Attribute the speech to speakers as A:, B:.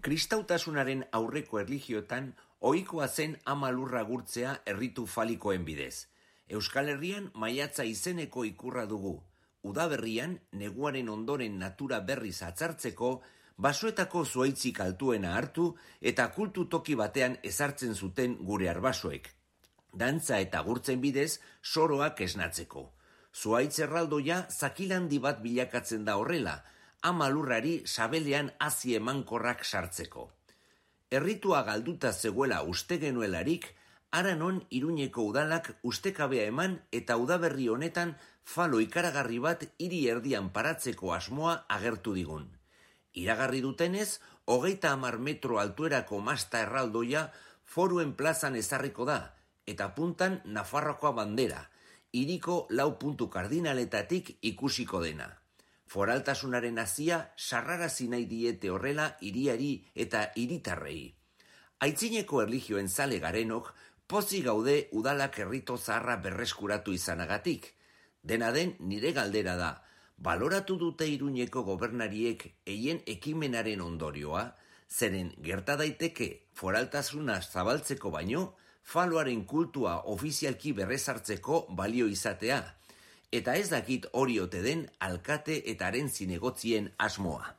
A: Kristautasunaren aurreko erlijioetan ohikoa zen ama lurra gurtzea erritu falikoen bidez. Euskal Herrian maiatza izeneko ikurra dugu. Udaberrian, neguaren ondoren natura berriz atzartzeko, basoetako zuhaitzik altuena hartu eta kultu toki batean ezartzen zuten gure arbasoek. Dantza eta gurtzen bidez, soroak esnatzeko. Zuhaitz erraldoia zakilandi bat bilakatzen da horrela, ama lurrari sabelean hazi emankorrak sartzeko. Erritua galduta zegoela uste genuelarik, Aranon Iruñeko udalak ustekabea eman eta udaberri honetan falo ikaragarri bat hiri erdian paratzeko asmoa agertu digun. Iragarri dutenez, 30 metro altuerako masta erraldoia Foruen plazan ezarriko da, eta puntan Nafarroakoa bandera, hiriko 4 puntu kardinaletatik ikusiko dena. Foraltasunaren hazia sarrarazi nahi diete horrela hiriari eta hiritarrei. Aitzineko erlijioen zale garenok, pozik gaude udalak errito zaharra berreskuratu izanagatik. Dena den nire galdera da, baloratu dute Iruñeko gobernariek eien ekimenaren ondorioa, zeren gerta daiteke foraltasuna zabaltzeko baino, faloaren kultua ofizialki berrezartzeko balio izatea, eta ez dakit hori ote den alkate eta haren zinegotzien asmoa.